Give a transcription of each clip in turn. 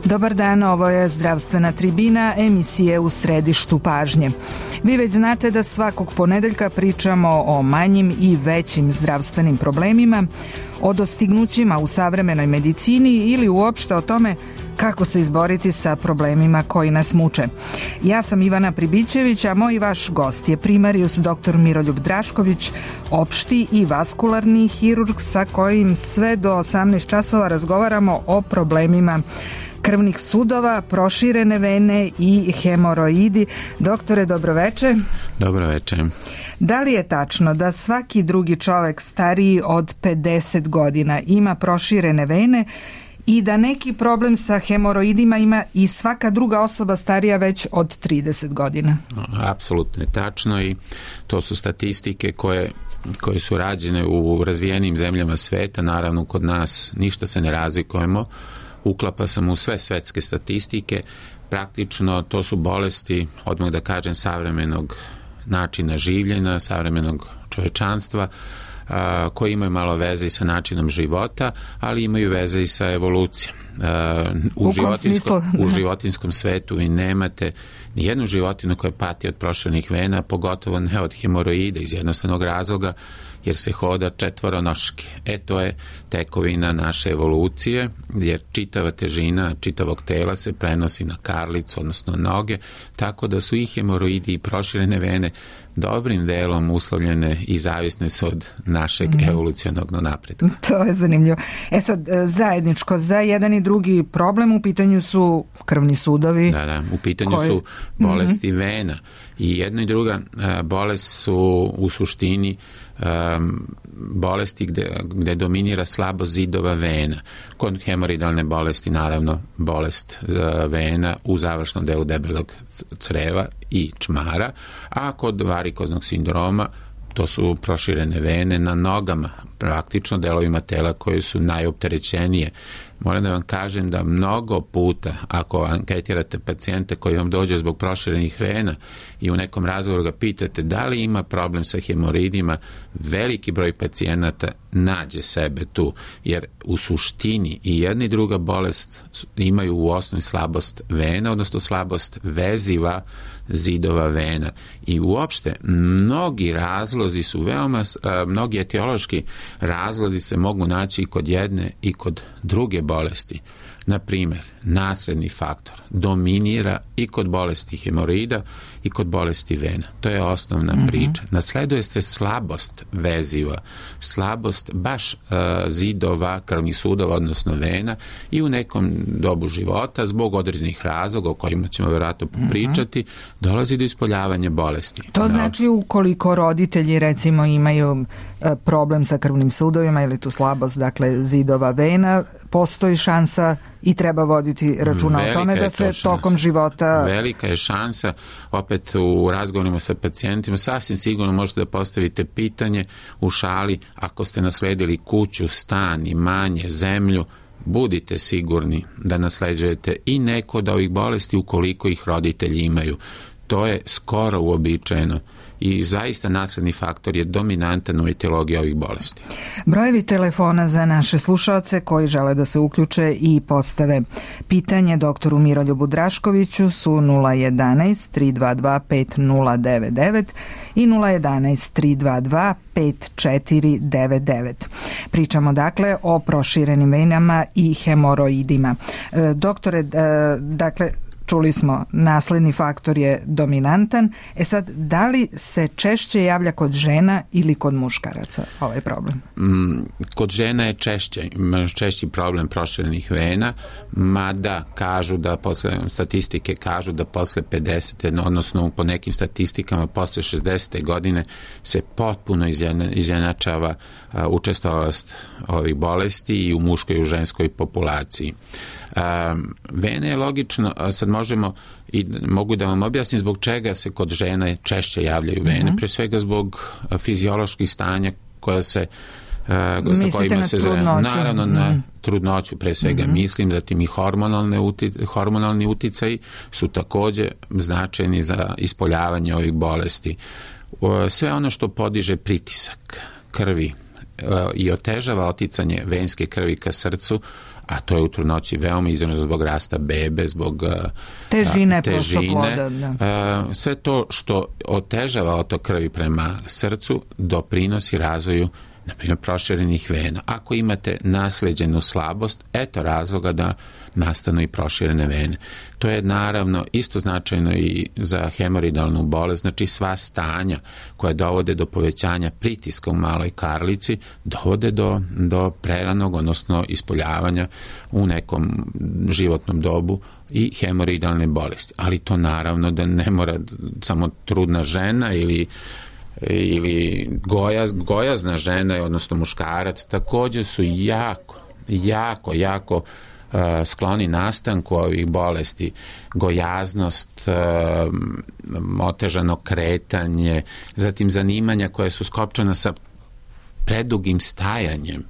Dobar dan, ovo je Zdravstvena tribina, emisije u središtu pažnje. Vi već znate da svakog ponedeljka pričamo o manjim i većim zdravstvenim problemima, o dostignućima u savremenoj medicini ili uopšte o tome kako se izboriti sa problemima koji nas muče. Ja sam Ivana Pribićević, a moj vaš gost je primarijus dr. Miroljub Drašković, opšti i vaskularni hirurg sa kojim sve do 18 časova razgovaramo o problemima krvnih sudova, proširene vene i hemoroidi. Doktore, dobroveče. Dobroveče. Da li je tačno da svaki drugi čovek stariji od 50 godina ima proširene vene i da neki problem sa hemoroidima ima i svaka druga osoba starija već od 30 godina? Apsolutno je tačno i to su statistike koje su rađene u razvijenim zemljama sveta. Naravno, kod nas ništa se ne razlikujemo. Uklapa sam u sve svetske statistike. Praktično to su bolesti, odmah da kažem, savremenog načina življenja, savremenog čovečanstva, koji imaju malo veze i sa načinom života, ali imaju veze i sa evolucijom. U životinskom svetu vi nemate ni jednu životinu koja pati od proširenih vena, pogotovo ne od hemoroida, iz jednostavnog razloga jer se hoda četvoronoške. To je tekovina naše evolucije, jer čitava težina čitavog tela se prenosi na karlicu, odnosno noge, tako da su i hemoroidi i proširene vene dobrim delom uslovljene i zavisne su od našeg evolucionog napretka. To je zanimljivo. Sad, zajedničko za jedan i drugi problem u pitanju su krvni sudovi. Da, u pitanju su bolesti vena. I jedna i druga bolest su u suštini bolesti gde dominira slabost zidova vena. Kod hemoroidalne bolesti, naravno, bolest vena u završnom delu debelog creva i čmara, a kod varikoznog sindroma to su proširene vene na nogama, praktično delovima tela koje su najopterećenije. Moram da vam kažem da mnogo puta, ako anketirate pacijente koji vam dođe zbog proširenih vena i u nekom razgovoru ga pitate da li ima problem sa hemoroidima, veliki broj pacijenata nađe sebe tu, jer u suštini i jedna i druga bolest imaju u osnovi slabost vena, odnosno slabost veziva zidova vena. I uopšte mnogi razlozi su mnogi etiološki razlozi se mogu naći i kod jedne i kod druge bolesti. Na primjer, nasledni faktor dominira i kod bolesti hemoroida i kod bolesti vena. To je osnovna priča. Nasleduje se slabost veziva, slabost baš zidova, krvnih sudova, odnosno vena, i u nekom dobu života, zbog određenih razloga o kojima ćemo vjerojatno popričati, dolazi do ispoljavanja bolesti. To znači ukoliko roditelji recimo imaju problem sa krvnim sudovima ili tu slabost, dakle, zidova vena, postoji šansa i treba voditi računa o tome da se tokom života... Velika je šansa, opet u razgovorima sa pacijentima, sasvim sigurno možete da postavite pitanje u šali, ako ste nasledili kuću, stan, imanje, zemlju, budite sigurni da nasleđujete i neko od ovih bolesti ukoliko ih roditelji imaju. To je skoro uobičajeno i zaista nasledni faktor je dominantan u etiologiji ovih bolesti. Brojevi telefona za naše slušaoce koji žele da se uključe i postave pitanje doktoru Miroljubu Draškoviću su 011 322 5099 i 011 322 5499. Pričamo dakle o proširenim venama i hemoroidima. Doktore, dakle, čuli smo, nasledni faktor je dominantan. Sad, da li se češće javlja kod žena ili kod muškaraca ovaj problem? Kod žena je češći problem proširenih vena, mada kažu da statistike kažu da posle 50, odnosno po nekim statistikama posle 60. godine se potpuno izjednačava učestalost ovih bolesti i u muškoj i u ženskoj populaciji. Vene je logično, sad mogu da vam objasnim zbog čega se kod žena češće javljaju vene, pre svega zbog fizioloških stanja koja se sa kojima se naravno na trudnoću pre svega mislim, zatim i hormonalni uticaji su takođe značajni za ispoljavanje ovih bolesti. Sve ono što podiže pritisak krvi i otežava oticanje venske krvi ka srcu, a to je u trudnoći veoma izraženo zbog rasta bebe, zbog težine. Sve to što otežava otok krvi prema srcu doprinosi razvoju, na primjer, proširenih vena. Ako imate naslijeđenu slabost, eto razloga da nastanu i proširene vene. To je naravno isto značajno i za hemoroidalnu bolest, znači sva stanja koja dovode do povećanja pritiska u maloj karlici dovode do preranog, odnosno ispoljavanja u nekom životnom dobu i hemoroidalne bolesti. Ali to naravno da ne mora samo trudna žena ili gojazna žena, odnosno muškarac, također su jako skloni nastanku ovih bolesti. Gojaznost, otežano kretanje, zatim zanimanja koja su skopčana sa predugim stajanjem,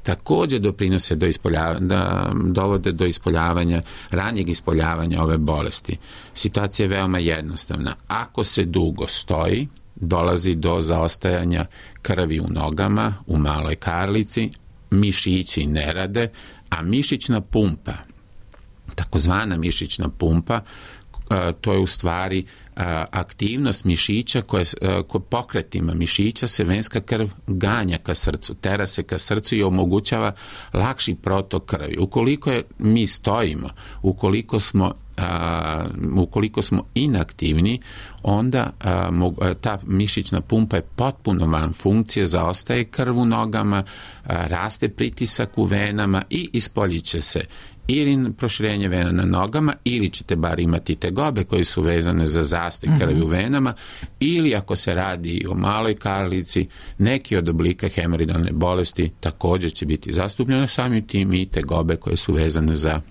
također doprinose dovode do ispoljavanja, ranijeg ispoljavanja ove bolesti. Situacija je veoma jednostavna. Ako se dugo stoji, dolazi do zaostajanja krvi u nogama, u maloj karlici, mišići ne rade, a mišićna pumpa, takozvana mišićna pumpa, to je u stvari aktivnost mišića koja pokretima mišića se venska krv ganja ka srcu, tera se ka srcu i omogućava lakši protok krvi. Ukoliko mi stojimo, ukoliko smo inaktivni, onda ta mišićna pumpa je potpuno van funkcije, zaostaje krv u nogama, raste pritisak u venama i ispoljit će se ili proširenje vena na nogama, ili ćete bar imati tegobe koje su vezane za zastoj krvi u venama, ili ako se radi o maloj karlici, neki od oblika hemoroidalne bolesti također će biti zastupljene, samim tim i tegobe koje su vezane za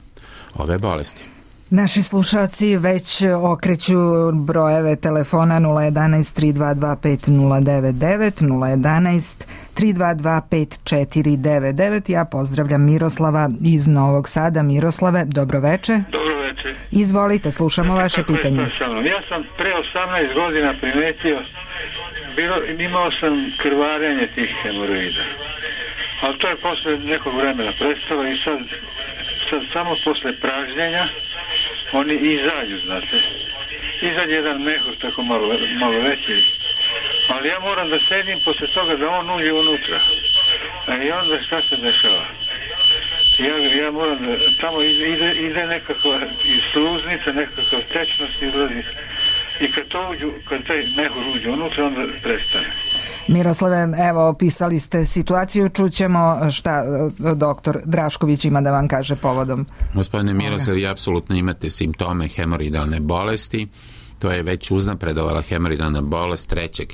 ove bolesti. Naši slušalci već okreću brojeve telefona 011 322 5099, 011 322 5499. Ja pozdravljam Miroslava iz Novog Sada. Miroslave, dobroveče. Dobroveče. Izvolite, slušamo vaše pitanje. Ja sam pre 18 godina primetio, imao sam krvarenje tih hemoroida, ali to je posle nekog vremena prestalo i sad samo posle pražnjenja oni izađu, znate. Izađe jedan mehur tako malo veći. Ali ja moram da sedim posle toga da on uđe unutra. I onda šta se dešava? Ja moram da tamo ide nekakva sluznica, nekakav tečnost izlazi. I kad taj mehur uđe unutra, onda prestane. Miroslave, evo, opisali ste situaciju, čućemo šta doktor Drašković ima da vam kaže povodom. Gospodine Miroslav, vi apsolutno imate simptome hemoroidalne bolesti. To je već uznapredovala hemoroidalna bolest trećeg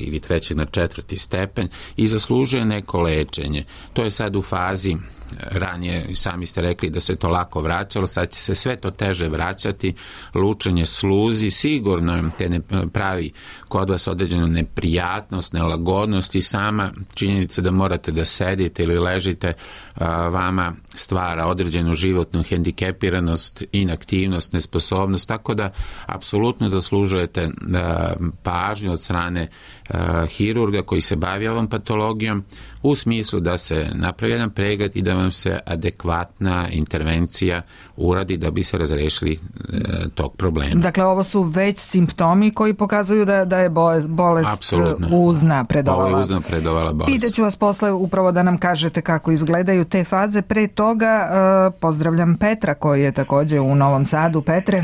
na 4. stepen i zaslužuje neko lečenje. To je sad u fazi, ranije sami ste rekli da se to lako vraćalo, sad će se sve to teže vraćati, lučenje sluzi, sigurno te ne pravi kod vas određenu neprijatnost, nelagodnost i sama činjenica da morate da sedite ili ležite vama stvara određenu životnu hendikepiranost, inaktivnost, nesposobnost, tako da apsolutno zaslužujete pažnju od strane hirurga koji se bavi ovom patologijom u smislu da se napravi jedan pregled i da vam se adekvatna intervencija uradi da bi se razrešili tog problema. Dakle, ovo su već simptomi koji pokazuju da je bolest uznapredovala. Ovo je uznapredovala bolest. Pitaću vas posle upravo da nam kažete kako izgledaju te faze. Pre toga pozdravljam Petra koji je također u Novom Sadu. Petre?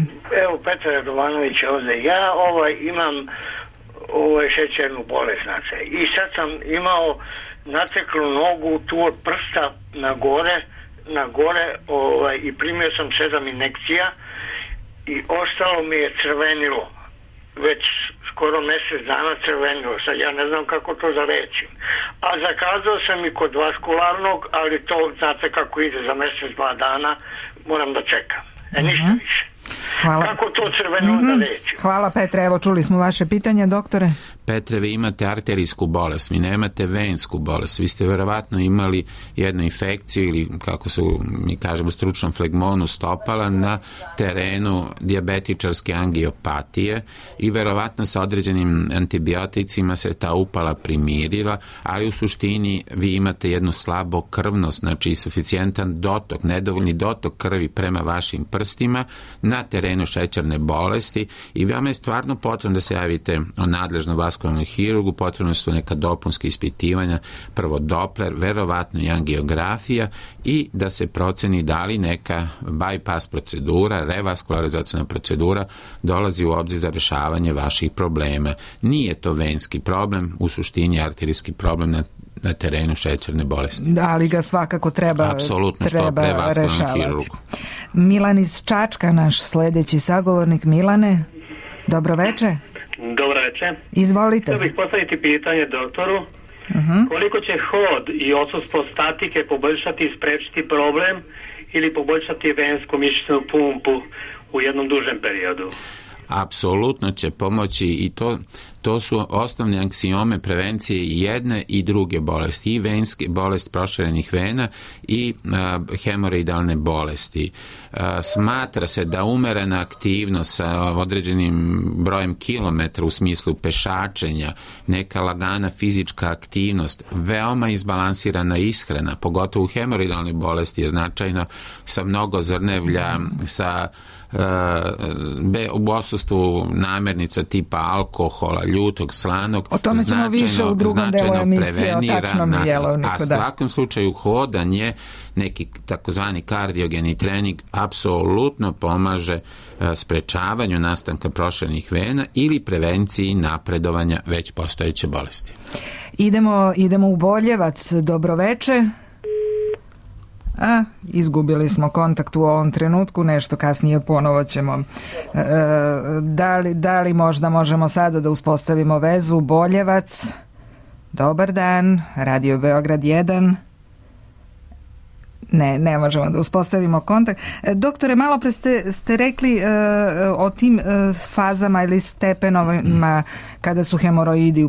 Evo, Petar Radovanović ovdje. Ja imam šećernu bolest, znači. I sad sam imao nateklu nogu tu od prsta na gore i primio sam 7 injekcija i ostalo mi je crvenilo. Već skoro mjesec dana crvenilo. Sad ja ne znam kako to da rečim. A zakazao sam i kod vaskularnog, ali to znate kako ide za mjesec, 2 dana, moram da čekam. Ništa više. Hvala. Kako to crveno onda leči? Hvala Petre, evo čuli smo vaše pitanje, doktore. Petre, vi imate arterijsku bolest, vi nemate vensku bolest, vi ste verovatno imali jednu infekciju ili, kako se mi kažemo stručnom, flegmonu stopala na terenu dijabetičarske angiopatije i verovatno sa određenim antibioticima se ta upala primirila, ali u suštini vi imate jednu slabo krvnost, znači suficijentan dotok, nedovoljni dotok krvi prema vašim prstima na terenu šećerne bolesti i vama je stvarno potrebno da se javite o nadležnom vaskularnom hirurgu, potrebno su neka dopunska ispitivanja, prvo Doppler, verovatno i angiografija i da se proceni da li neka bypass procedura, revaskularizacijna procedura dolazi u obzir za rešavanje vaših problema. Nije to venski problem, u suštini arterijski problem na terenu šećerne bolesti. Da, ali ga svakako treba rešavati. Milan iz Čačka, naš sledeći sagovornik. Milane, dobroveče. Dobroveče. Izvolite. Htio bih postaviti pitanje doktoru. Koliko će hod i odsustvo statike poboljšati i sprečiti problem ili poboljšati vensku mišićnu pumpu u jednom dužem periodu? Apsolutno će pomoći i to su osnovne aksiome prevencije i jedne i druge bolesti, i venske bolest proširenih vena i hemoroidalne bolesti. Smatra se da umerena aktivnost sa određenim brojem kilometra u smislu pešačenja, neka lagana fizička aktivnost, veoma izbalansirana ishrana, pogotovo u hemoroidalnoj bolesti je značajno sa mnogo zrnevlja, sa u odsustvu namirnica tipa alkohola, ljutog, slanog, o tome ćemo više u drugom delu emisije o tačnom jelovniku. A u svakom slučaju hodanje, neki takozvani kardiogeni trening apsolutno pomaže sprečavanju nastanka proširenih vena ili prevenciji napredovanja već postojeće bolesti. Idemo u Boljevac. Dobroveče. Izgubili smo kontakt u ovom trenutku, nešto kasnije ponovo ćemo. Da li možda možemo sada da uspostavimo vezu? Boljevac, dobar dan, Radio Beograd 1. Ne možemo da uspostavimo kontakt. Doktore, malo pre ste rekli o tim fazama ili stepenovima kada su hemoroidi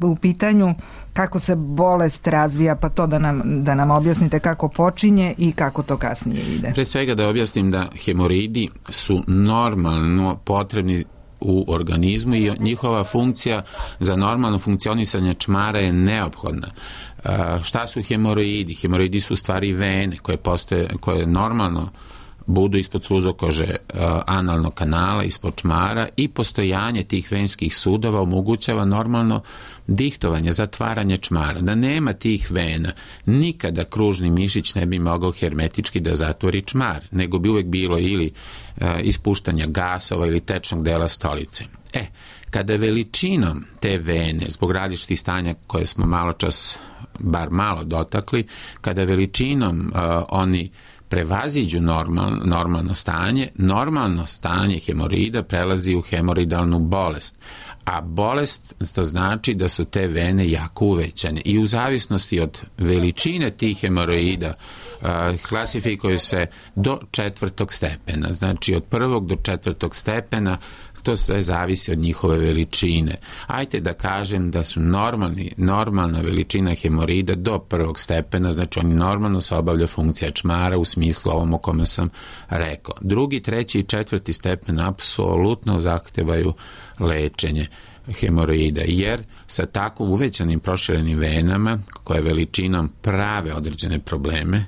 u pitanju, kako se bolest razvija, pa to da nam objasnite kako počinje i kako to kasnije ide. Pre svega da objasnim da hemoroidi su normalno potrebni u organizmu i njihova funkcija za normalno funkcionisanje čmara je neophodna. Šta su hemoroidi? Hemoroidi su u stvari vene koje normalno budu ispod suzokože analnog kanala, ispod čmara i postojanje tih venskih sudova omogućava normalno dihtovanje, zatvaranje čmara. Da nema tih vena, nikada kružni mišić ne bi mogao hermetički da zatvori čmar, nego bi uvek bilo ili ispuštanja gasova ili tečnog dela stolice. Kada veličinom te vene, zbog različitih stanja koje smo malo čas bar malo dotakli, kada veličinom oni prevaziđu normalno stanje hemoroida prelazi u hemoroidalnu bolest. A bolest, to znači da su te vene jako uvećane i u zavisnosti od veličine tih hemoroida klasifikuju se do 4. stepena. Znači od 1. do 4. stepena to sve zavisi od njihove veličine. Ajde da kažem da su normalna veličina hemoroida do 1. stepena, znači oni normalno se obavlja funkcija čmara u smislu ovom o kome sam rekao. 2., 3. i 4. stepen apsolutno zahtevaju lečenje hemoroida, jer sa tako uvećanim proširenim venama koje veličinom prave određene probleme,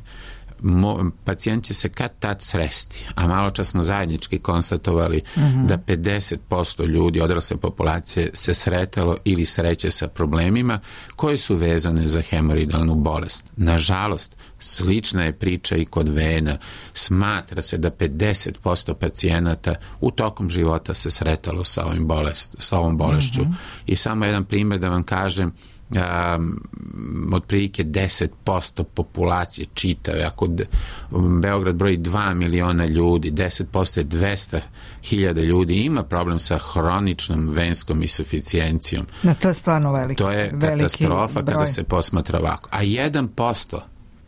pacijent će se kad tad sresti, a malo čas smo zajednički konstatovali da 50% ljudi odrasle populacije se sretalo ili sreće sa problemima koje su vezane za hemoroidalnu bolest. Nažalost, slična je priča i kod vena. Smatra se da 50% pacijenata u tokom života se sretalo sa ovom bolešću. I samo jedan primjer da vam kažem, otprilike 10% populacije čitave, ako Beograd broji 2 miliona ljudi, 10% je 200.000 ljudi ima problem sa hroničnom venskom insuficijencijom. To je stvarno veliki. To je katastrofa broj. Kada se posmatra ovako. A 1%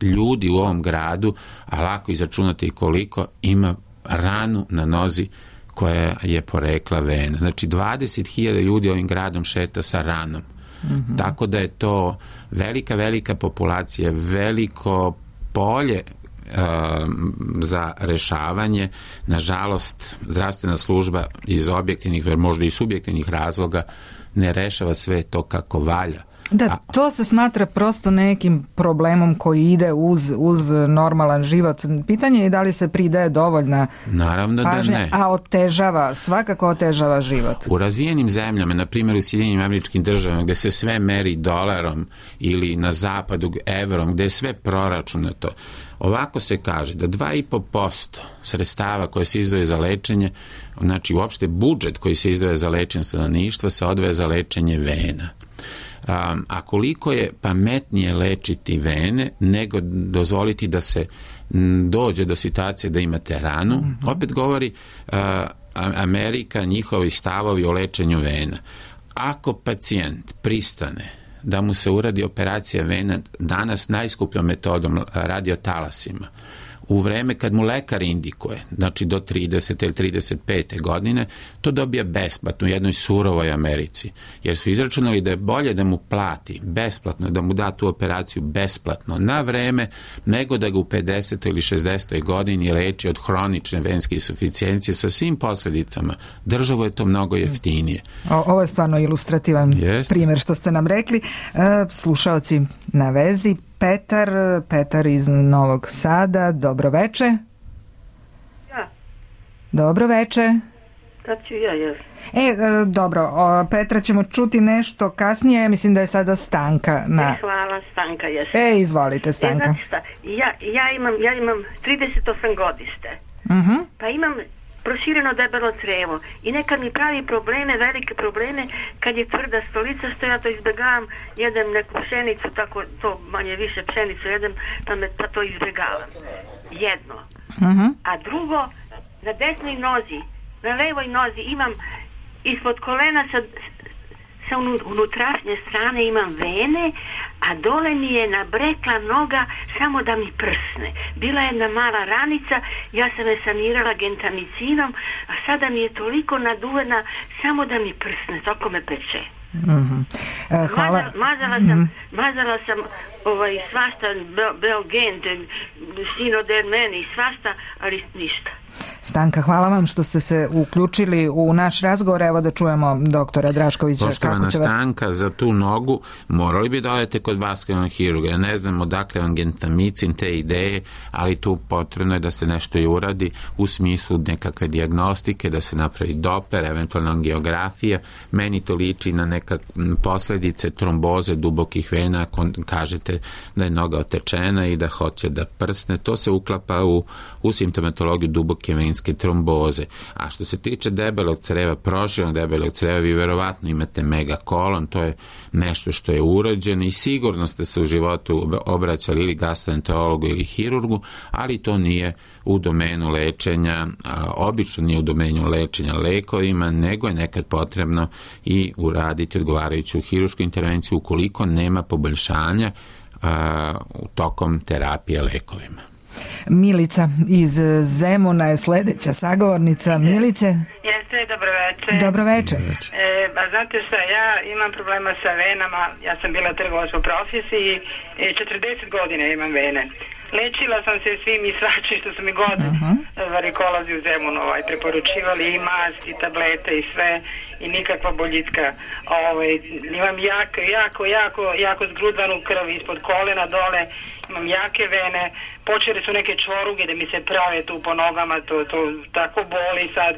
ljudi u ovom gradu, a lako izračunati koliko, ima ranu na nozi koja je porekla vena. Znači 20.000 ljudi ovim gradom šeta sa ranom. Tako da je to velika populacija, veliko polje za rešavanje. Nažalost, zdravstvena služba iz objektivnih, možda i subjektivnih razloga ne rešava sve to kako valja. Da, to se smatra prosto nekim problemom koji ide uz normalan život. Pitanje je da li se pridaje dovoljna Naravno pažnja, da ne. A svakako otežava život. U razvijenim zemljama, na primjer u Sjedinjenim Američkim Državama, gde se sve meri dolarom ili na zapadu evrom, gde je sve proračunato, ovako se kaže da 2,5% sredstava koje se izdvoje za lečenje, znači uopšte budžet koji se izdvoje za lečenje stanovništva, se odvaja za lečenje vena. A koliko je pametnije lečiti vene nego dozvoliti da se dođe do situacije da imate ranu, opet govori Amerika, njihovi stavovi o lečenju vena. Ako pacijent pristane da mu se uradi operacija vena danas najskupljom metodom radiotalasima, u vreme kad mu lekar indikuje, znači do 30. ili 35. godine, to dobija besplatno u jednoj surovoj Americi. Jer su izračunali da je bolje da mu plati besplatno, da mu da tu operaciju besplatno na vreme, nego da ga u 50. ili 60. godini leči od hronične venske insuficijencije sa svim posledicama. Državu je to mnogo jeftinije. Ovo je stvarno ilustrativan primjer što ste nam rekli. Slušaoci na vezi, Petar iz Novog Sada, dobro veče. Ja. Dobro veče. Kad ću ja. Dobro, Petra ćemo čuti nešto kasnije, mislim da je sada Stanka. Hvala, Stanka jesam. Izvolite, Stanka. Znači šta, ja imam 38 godište, pa imam prošireno debelo crevo i nekad mi pravi probleme, velike probleme kad je tvrda stolica, što ja to izbjegavam, jedem neku pšenicu, tako to manje više pšenicu jedem, pa to izbjegavam. Jedno. A drugo, na desnoj nozi, na levoj nozi imam ispod kolena sa unutrašnje strane imam vene, a dole mi je nabrekla noga samo da mi prsne. Bila je jedna mala ranica, ja sam je sanirala gentamicinom, a sada mi je toliko naduvena samo da mi prsne, toliko me peče. Hvala. Mazala sam svašta, Belgen, Sinodermen i svašta, ali ništa. Stanka, hvala vam što ste se uključili u naš razgovor. Evo da čujemo doktora Draškovića. Poštovana Stanka, za tu nogu morali bi da odete kod vaskularnog hirurga. Ja ne znam odakle vam gentamicin, te ideje, ali tu potrebno je da se nešto i uradi u smislu nekakve dijagnostike, da se napravi doper, eventualno angiografija. Meni to liči na neka posledice tromboze dubokih vena, ako kažete da je noga otečena i da hoće da prsne. To se uklapa u simptomatologiju duboke venske tromboze. A što se tiče debelog creva, proširenog debelog creva, vi verovatno imate megakolon, to je nešto što je urođeno i sigurno ste se u životu obraćali ili gastroenterologu ili hirurgu, ali to nije u domenu lečenja, obično nije u domenu lečenja lekovima, nego je nekad potrebno i uraditi odgovarajuću hirušku intervenciju ukoliko nema poboljšanja tokom terapije lekovima. Milica iz Zemuna je sledeća sagovornica. Milice? Jeste, dobro večer. Dobro večer. Znate šta, ja imam problema sa venama, ja sam bila trgovac po profesiji, 40 godina imam vene. Lečila sam se svim i svačim što su mi god varikolozi u Zemunu preporučivali, i mast, i tablete, i sve, i nikakva boljitka. Imam jako zgrudvanu krv ispod kolena dole, imam jake vene, počele su neke čoruge da mi se prave tu po nogama, to tako boli sad,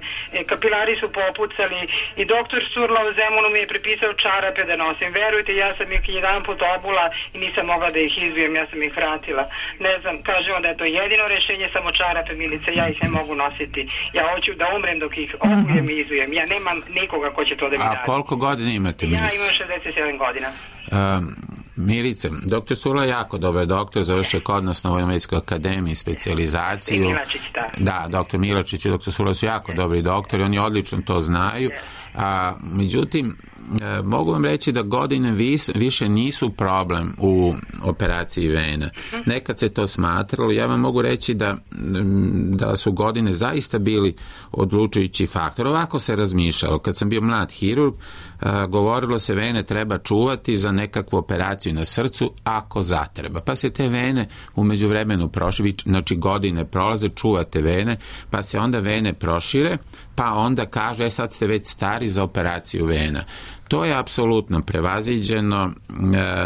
kapilari su popucali i doktor Surla u Zemunu mi je prepisao čarape da nosim. Verujte, ja sam ih jedan put obula i nisam mogla da ih izujem, ja sam ih vratila. Ne znam, kažemo da je to jedino rešenje, samo čarape, Milice, ja ih ne mogu nositi. Ja hoću da umrem dok ih obujem i izujem. Ja nemam nikoga ko će to da mi dati. A koliko godina imate, Milice? Ja imam 67 godina. Milice, doktor Surla je jako dobar doktor, završio kod nas na Vojnomedičkoj akademiji specijalizaciju. I Milačić, da, doktor Milačić i doktor Surla su jako dobri doktori, oni odlično to znaju. Međutim, mogu vam reći da godine više nisu problem u operaciji vena. Nekad se to smatralo, ja vam mogu reći da su godine zaista bili odlučujući faktor. Ovako se razmišljalo. Kad sam bio mlad hirurg, govorilo se vene treba čuvati za nekakvu operaciju na srcu ako zatreba. Pa se te vene u međuvremenu prošire, znači godine prolaze, čuvate vene, pa se onda vene prošire, pa onda kaže, sad ste već stari za operaciju vena. To je apsolutno prevaziđeno.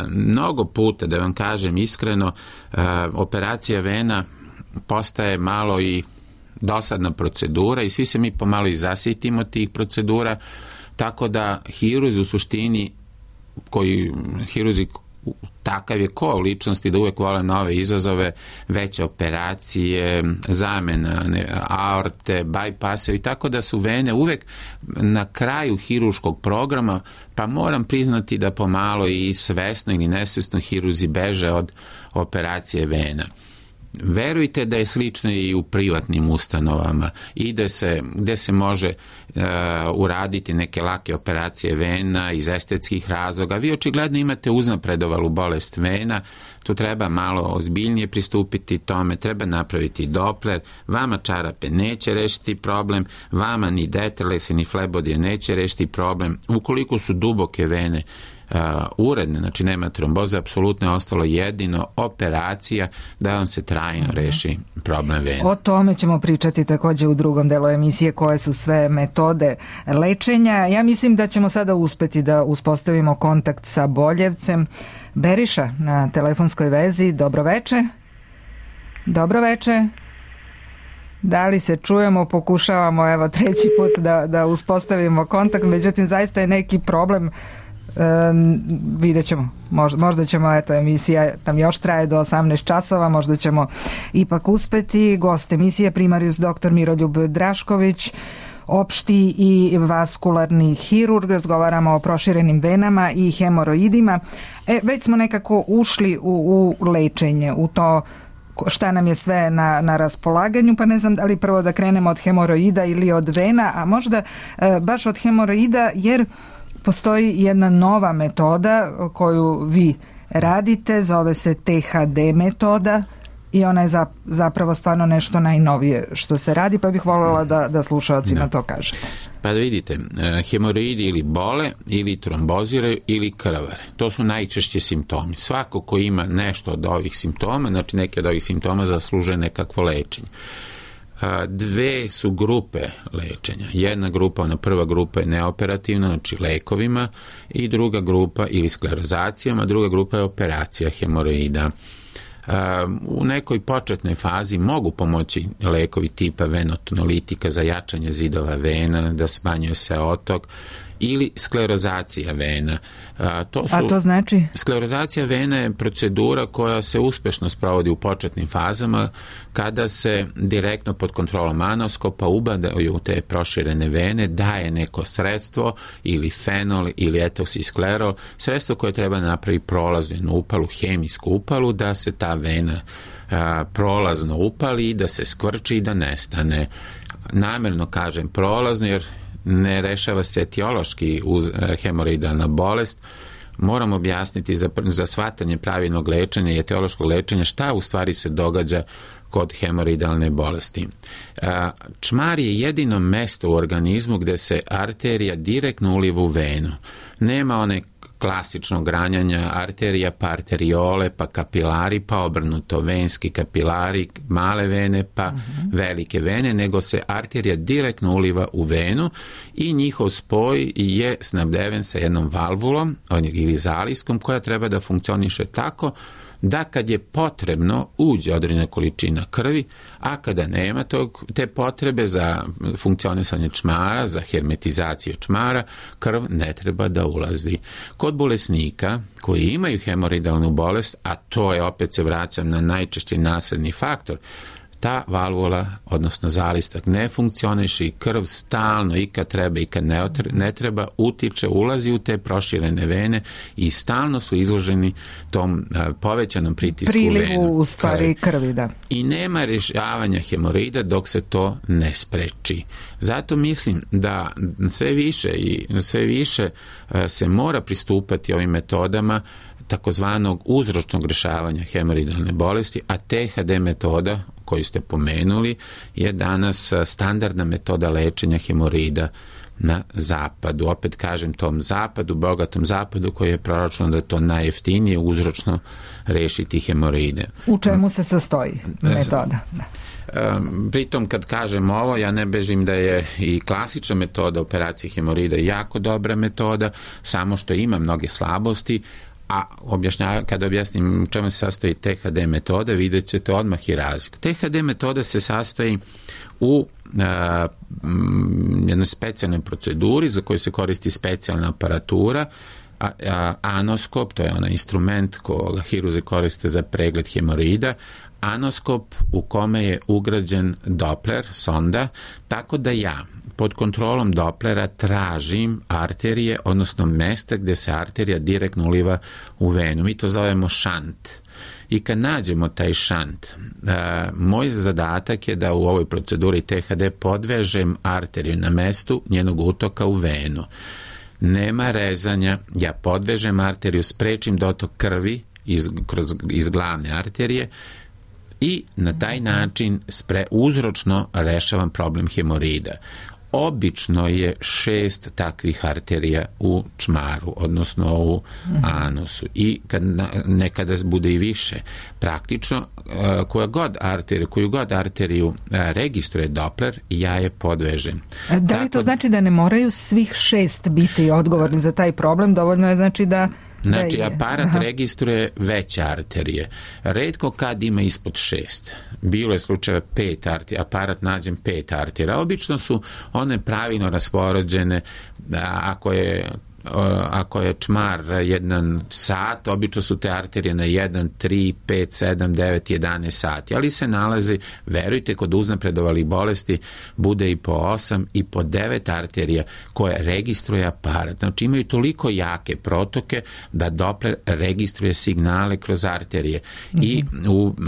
Mnogo puta, da vam kažem iskreno, operacija vena postaje malo i dosadna procedura i svi se mi pomalo i zasitimo tih procedura, tako da hirurzi u suštini hirurzi takav je ko ličnosti da uvek vole nove izazove, veće operacije, zamena aorte, bajpase, i tako da su vene uvek na kraju hirurškog programa, pa moram priznati da pomalo i svesno ili nesvesno hirurzi beže od operacije vena. Verujte da je slično i u privatnim ustanovama i gde se može uraditi neke lake operacije vena iz estetskih razloga. Vi očigledno imate uznapredovalu bolest vena, tu treba malo ozbiljnije pristupiti tome, treba napraviti Doppler, vama čarape neće rešiti problem, vama ni Deterlese ni flebodije neće rešiti problem. Ukoliko su duboke vene uredne, znači nema tromboze, apsolutno je ostalo jedino operacija da vam se trajno reši problem vena. O tome ćemo pričati također u drugom delu emisije, koje su sve metode lečenja. Ja mislim da ćemo sada uspeti da uspostavimo kontakt sa Boljevcem. Beriša na telefonskoj vezi, dobroveče. Dobroveče. Da li se čujemo, pokušavamo evo treći put da uspostavimo kontakt, međutim zaista je neki problem. Vidjet ćemo, možda ćemo, eto, emisija nam još traje do 18 časova, možda ćemo ipak uspeti. Gost emisije primarijus dr. Miroljub Drašković, opšti i vaskularni hirurg. Razgovaramo o proširenim venama i hemoroidima. Već smo nekako ušli u lečenje, u to šta nam je sve na raspolaganju, pa ne znam da li prvo da krenemo od hemoroida ili od vena, a možda baš od hemoroida, jer postoji jedna nova metoda koju vi radite, zove se THD metoda i ona je zapravo stvarno nešto najnovije što se radi, pa bih voljela da slušalcima to kažete. Pa da vidite, hemoroidi ili bole, ili tromboziraju, ili krvare. To su najčešće simptomi. Svako ko ima nešto od ovih simptoma, znači neke od ovih simptoma, zaslužuje nekakvo lečenje. Dve su grupe lečenja. Jedna grupa, ona prva grupa je neoperativna, znači lekovima, i druga grupa ili sklerozacijama, druga grupa je operacija hemoroida. U nekoj početnoj fazi mogu pomoći lekovi tipa venotonolitika za jačanje zidova vena, da smanjuje se otok, ili sklerozacija vena. A to znači? Sklerozacija vena je procedura koja se uspešno sprovodi u početnim fazama kada se direktno pod kontrolom anoskopa ubadaju te proširene vene, daje neko sredstvo ili fenol ili etoksisklerol, sredstvo koje treba napraviti prolaznu upalu, hemijsku upalu, da se ta vena prolazno upali i da se skvrči i da nestane. Namjerno kažem prolazno jer ne rešava se etiološki hemoroidalna bolest. Moram objasniti za shvatanje pravilnog lečenja i etiološkog lečenja šta u stvari se događa kod hemoroidalne bolesti. Čmar je jedino mesto u organizmu gde se arterija direktno uliva u venu. Nema one klasičnog ranjanja arterija, pa arteriole, pa kapilari, pa obrnuto venski kapilari, male vene, pa velike vene, nego se arterija direktno uliva u venu i njihov spoj je snabdeven sa jednom valvulom ili zalijskom koja treba da funkcioniše tako da kad je potrebno uđe određena količina krvi, a kada nema te potrebe za funkcionisanje čmara, za hermetizaciju čmara, krv ne treba da ulazi. Kod bolesnika koji imaju hemoroidalnu bolest, a to je, opet se vraćam na najčešći nasledni faktor, ta valvula, odnosno zalistak, ne funkcioniše i krv stalno i kad treba i kad ne treba utiče, ulazi u te proširene vene i stalno su izloženi tom povećanom pritisku prilivu u stvari krvi, da. I nema rješavanja hemoroida dok se to ne spreči. Zato mislim da sve više se mora pristupati ovim metodama takozvanog uzročnog rješavanja hemoroidalne bolesti, a THD metoda koju ste pomenuli je danas standardna metoda lečenja hemoroida na zapadu. Opet kažem, tom zapadu, bogatom zapadu koji je proračunao da je to najjeftinije uzročno rešiti hemoroide. U čemu se sastoji metoda? Pritom kad kažem ovo, ja ne bežim da je i klasična metoda operacije hemoroida jako dobra metoda, samo što ima mnoge slabosti, a kada objasnim čemu se sastoji THD metoda, vidjet ćete odmah i razliku. THD metoda se sastoji u jednoj specijalnoj proceduri za koju se koristi specijalna aparatura, anoskop, to je onaj instrument koga hiruzi koriste za pregled hemoroida, anoskop u kome je ugrađen Doppler, sonda, tako da ja pod kontrolom Dopplera tražim arterije, odnosno mesta gde se arterija direktno uliva u venu. Mi to zovemo šant. I kad nađemo taj šant, moj zadatak je da u ovoj proceduri THD podvežem arteriju na mestu njenog utoka u venu. Nema rezanja, ja podvežem arteriju, sprečim dotok krvi iz glavne arterije i na taj način uzročno rešavam problem hemoroida. Obično je 6 takvih arterija u čmaru, odnosno u anusu. I nekada bude i više. Praktično, koju god arteriju registruje Doppler, ja je podvežem. Da li to znači da ne moraju svih 6 biti odgovorni za taj problem? Dovoljno je znači da... Znači, aparat registruje veće arterije. Retko kad ima ispod 6. Bilo je slučajeva 5 arterija, aparat nađem 5 arterija. Obično su one pravilno raspoređene, ako je čmar 1 sat, obično su te arterije na 1, 3, 5, 7, 9, 11 sati, ali se nalazi, verujte, kod uznapredovalih bolesti bude i po 8 i po 9 arterija koje registruje aparat. Znači imaju toliko jake protoke da Doppler registruje signale kroz arterije i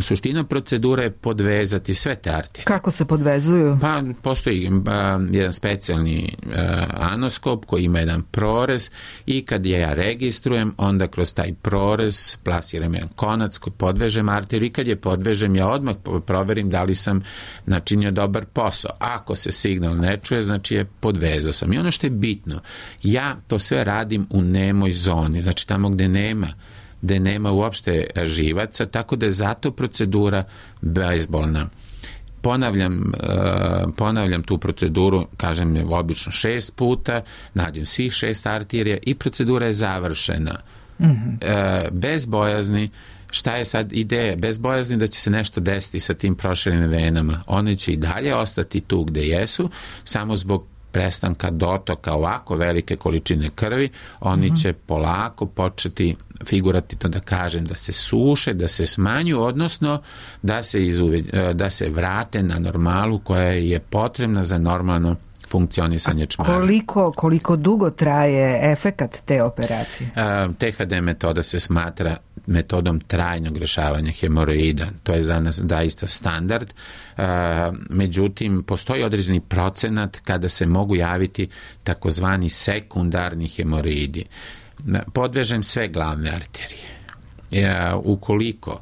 suština procedura je podvezati sve te arterije. Kako se podvezuju? Pa postoji jedan specijalni anoskop koji ima jedan prorez i kad ja registrujem, onda kroz taj prorez plasiram jedan konac koji podvežem arteriju i kad je podvežem, ja odmah proverim da li sam načinio dobar posao. Ako se signal ne čuje, znači je podvezao sam. I ono što je bitno, ja to sve radim u nemoj zoni, znači tamo gde nema uopšte živaca, tako da je zato procedura bezbolna. Ponavljam tu proceduru, kažem obično 6 puta, nađem svih 6 arterija i procedura je završena. Bez bojazni, šta je sad ideja? Bez bojazni da će se nešto desiti sa tim proširenim venama. One će i dalje ostati tu gde jesu, samo zbog prestanka dotoka ovako velike količine krvi, oni će polako početi, figurativno da kažem, da se suše, da se smanju, odnosno da se vrate na normalu koja je potrebna za normalno funkcionisanje čmara. Koliko dugo traje efekat te operacije? THD metoda se smatra metodom trajnog rješavanja hemoroida. To je za nas daista standard. Međutim, postoji određeni procenat kada se mogu javiti takozvani sekundarni hemoroidi. Podvežem sve glavne arterije. Ukoliko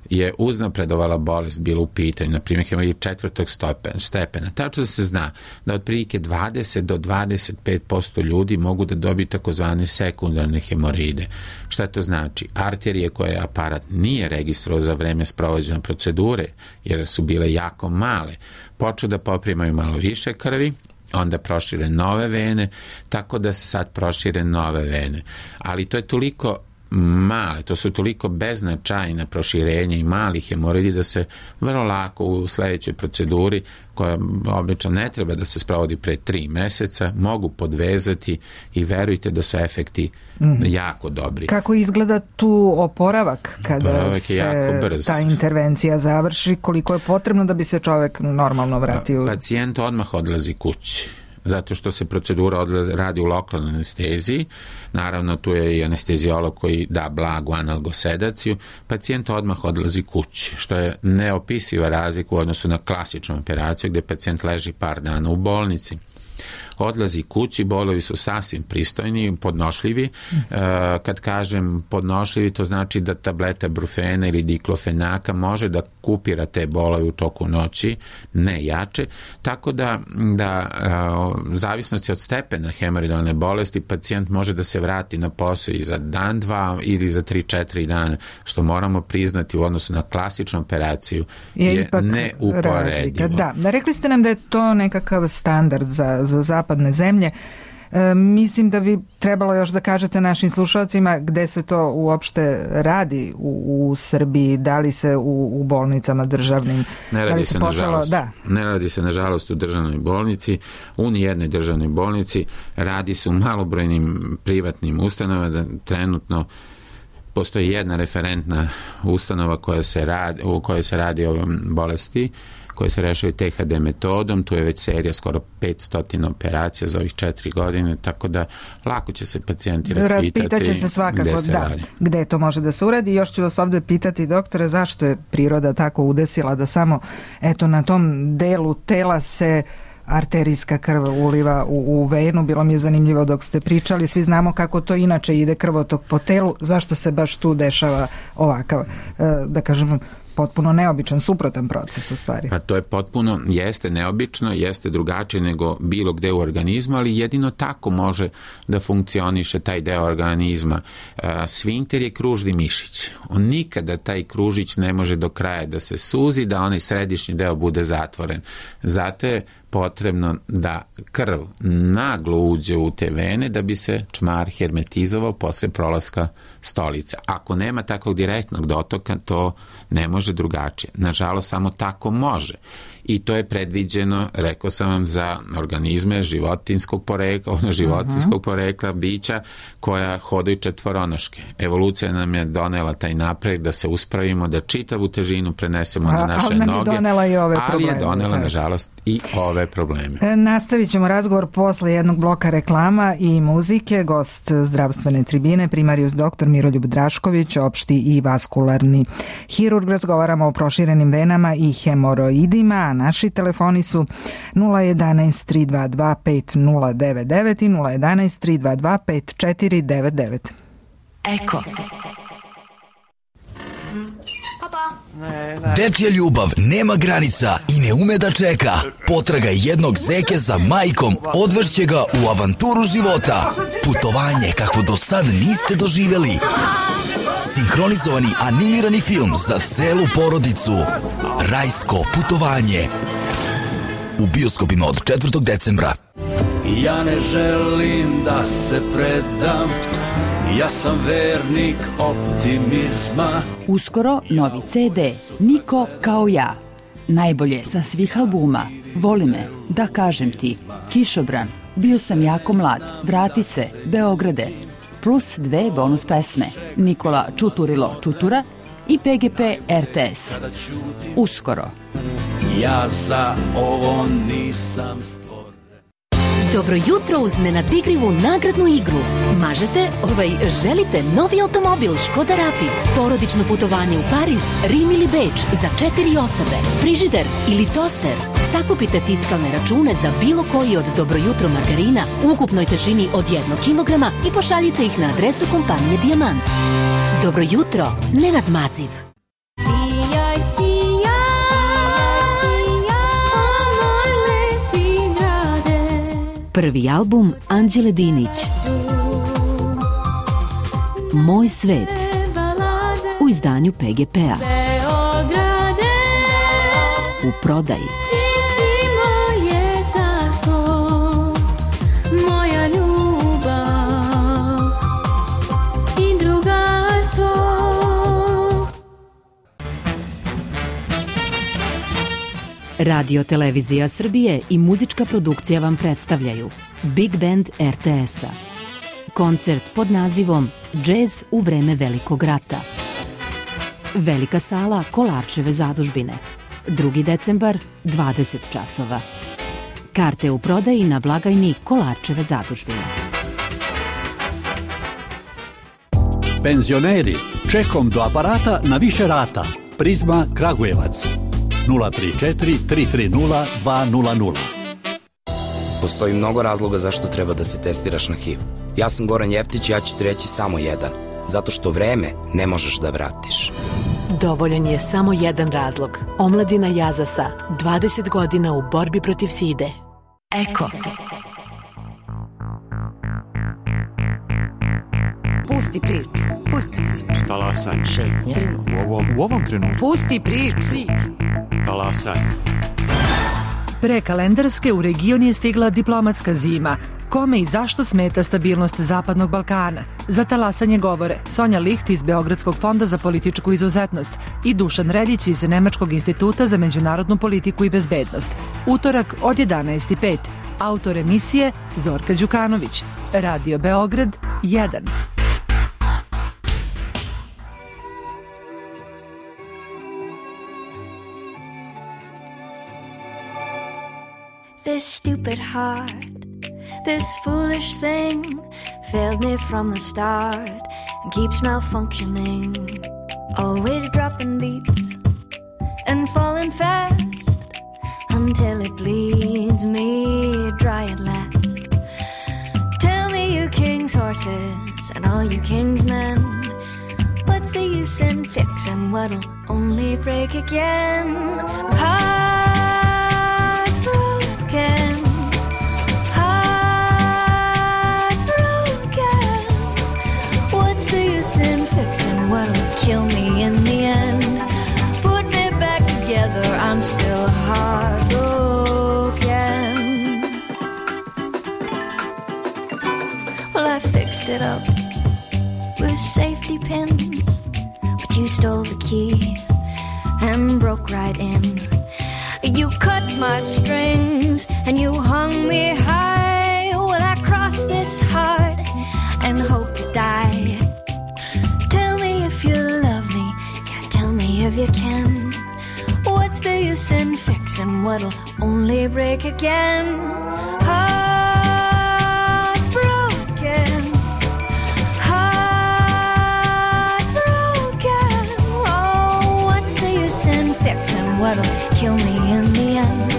je uznapredovala bolest bila u pitanju, na primjer hemoroid 4. stepena, tačno se zna da otprilike 20 do 25% ljudi mogu da dobiju takozvane sekundarne hemoroide. Šta to znači? Arterije koje aparat nije registrovao za vreme sprovođenja procedure, jer su bile jako male, počnu da poprimaju malo više krvi, onda prošire nove vene, tako da se sad prošire nove vene. Ali to je toliko male, to su toliko beznačajna proširenja i mali hemoroidi da se vrlo lako u sledećoj proceduri, koja obično ne treba da se sprovodi pre 3 meseca, mogu podvezati i verujte da su efekti jako dobri. Kako izgleda tu oporavak kada se ta intervencija završi? Koliko je potrebno da bi se čovek normalno vratio? Pacijent odmah odlazi kući, zato što se procedura radi u lokalnoj anesteziji. Naravno, tu je i anesteziolog koji da blagu analgosedaciju. Pacijent odmah odlazi kući, što je neopisiva razlika u odnosu na klasičnu operaciju gde pacijent leži par dana u bolnici. Odlazi kući, bolovi su sasvim pristojni, podnošljivi. Kad kažem podnošljivi, to znači da tableta brufena ili diklofenaka može da kupira te bolove u toku noći, ne jače, tako da zavisnosti od stepena hemoroidalne bolesti pacijent može da se vrati na posao i za dan, 2 ili za 3-4 dana, što moramo priznati u odnosu na klasičnu operaciju je neuporedivo. Da, rekli ste nam da je to nekakav standard za zapadne zemlje. Mislim da bi trebalo još da kažete našim slušalcima gde se to uopšte radi u Srbiji, da li se u bolnicama državnim? Ne radi se nažalost. Ne radi se nažalost u državnoj bolnici, u nijednoj državnoj bolnici, radi se u malobrojnim privatnim ustanovama. Trenutno postoji jedna referentna ustanova u kojoj se radi o bolesti, koje se rešaju THD metodom. Tu je već serija skoro 500 operacija za ovih 4 godine, tako da lako će se pacijenti raspitaće se svakako gde to može da se uradi. Još ću vas ovde pitati, doktore, zašto je priroda tako udesila da samo na tom delu tela se arterijska krv uliva u venu? Bilo mi je zanimljivo dok ste pričali, svi znamo kako to inače ide krvotok po telu, zašto se baš tu dešava ovakav, da kažem, potpuno neobičan, suprotan proces u stvari. Pa to je potpuno, jeste neobično, jeste drugačije nego bilo gde u organizmu, ali jedino tako može da funkcioniše taj deo organizma. Sfinkter je kružni mišić. On nikada taj kružić ne može do kraja da se suzi, da onaj središnji deo bude zatvoren. Zato je potrebno da krv naglo uđe u te vene da bi se čmar hermetizovao posle prolaska stolica. Ako nema takvog direktnog dotoka, to ne može drugačije. Nažalost, samo tako može. I to je predviđeno, rekao sam vam, za organizme životinskog porekla, bića koja hodaju četvoronoške. Evolucija nam je donela taj napred da se uspravimo, da čitavu težinu prenesemo na naše noge, ali je donela, nažalost, i ove probleme. Nastavit ćemo razgovor posle jednog bloka reklama i muzike. Gost zdravstvene tribine, primarijus dr. Miroljub Drašković, opšti i vaskularni hirurg. Razgovaramo o proširenim venama i hemoroidima. Naši telefoni su 011 322 5099 i 011 322 5499. Eko. Dečja ljubav nema granica i ne ume da čeka. Potraga jednog zeke za majkom odvešće ga u avanturu života. Putovanje kakvo do sad niste doživjeli. Sinhronizovani animirani film za celu porodicu. Rajsko putovanje. U bioskopima od 4. decembra. Ja ne želim da se predam, ja sam vernik optimizma. Uskoro novi CD, Niko kao ja. Najbolje sa svih albuma. Voli me, da kažem ti, Kišobran, bio sam jako mlad, vrati se, Beograde. Plus 2 bonus pesme, Nikola Čuturilo Čutura i PGP RTS. Uskoro. Ja za ovo nisam stvoren. Dobro jutro uz nenadigrivu nagradnu igru. Želite novi automobil Škoda Rapid, porodično putovanje u Pariz, Rim ili Beč za 4 osobe, frižider ili toster. Sakupite fiskalne račune za bilo koji od Dobro jutro margarina u ukupnoj težini od 1 kilograma i pošaljite ih na adresu kompanije Dijamant. Dobro jutro, Nenad Maziv. Prvi album Anđele Dinić. Moj svet. U izdanju PGP-a. U prodaji. Moja ljubav i druga Radio Televizija Srbije i muzička produkcija vam predstavljaju Big Band RTS-a. Koncert pod nazivom Džez u vreme Velikog rata. Velika sala Kolarčeve zadužbine. 2. decembar, 20 časova. Karte u prodaji na blagajni Kolarčeve zadužbine. Penzioneri, čekom do aparata na više rata. Prizma Kragujevac. 034 330 200. Postoji mnogo razloga zašto treba da se testiraš na HIV. Ja sam Goran Jeftić i ja ću ti reći samo jedan. Zato što vreme ne možeš da vratiš. Dovoljan je samo jedan razlog. Omladina Jazasa, 20 godina u borbi protiv side. Eko. Pusti priču. Pusti priču. Talasaj. Šetnje. U ovom trenutku. Pusti priču. Talasaj. Pre kalendarske u region je stigla diplomatska zima. Kome i zašto smeta stabilnost Zapadnog Balkana? Za talasanje govore Sonja Licht iz Beogradskog fonda za političku izuzetnost i Dušan Reljić iz Nemačkog instituta za međunarodnu politiku i bezbednost. Utorak od 11:05. Autor emisije Zorka Đukanović. Radio Beograd 1. This stupid heart, this foolish thing, failed me from the start and keeps malfunctioning. Always dropping beats and falling fast until it bleeds me dry at last. Tell me, you king's horses and all you king's men, what's the use in fixing what'll only break again? Heartbroken, what's the use in fixing what'll kill me in the end? Put me back together, I'm still heartbroken. Well, I fixed it up with safety pins, but you stole the key and broke right in. You cut my strings and you hung me high. Well, I cross this heart and hope to die. Tell me if you love me, yeah, tell me if you can. What's the use in fixing what'll only break again? Heartbroken, heartbroken. Oh, what's the use in fixing what'll kill me in the end?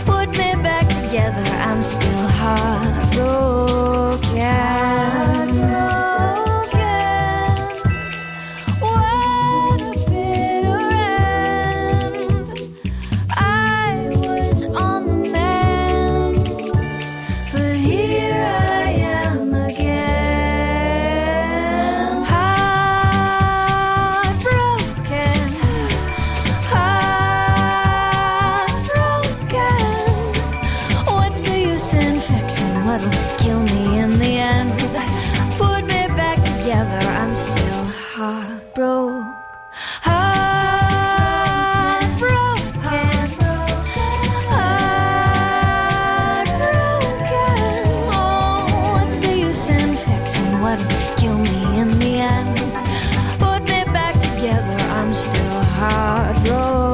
Put me back together, I'm still heartbroken. What a bitter end. I was on the mend, but here I am again. Heartbroken, what's the use in fixing what'll kill me in the end? Put me back together, I'm still heartbroken. Oh, what's the use in fixing what'll kill me in the end? Put me back together, I'm still heartbroken.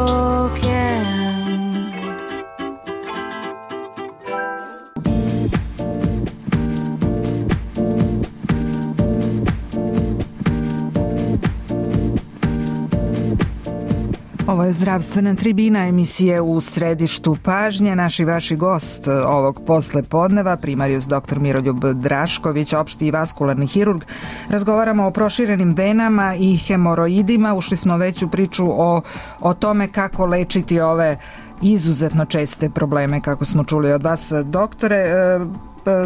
Ovo je zdravstvena tribina emisije U središtu pažnje. Naš i vaši gost ovog posle podneva, primarijus dr. Miroljub Drašković, opšti i vaskularni hirurg. Razgovaramo o proširenim venama i hemoroidima. Ušli smo već u priču o tome kako lečiti ove izuzetno česte probleme, kako smo čuli od vas, doktore.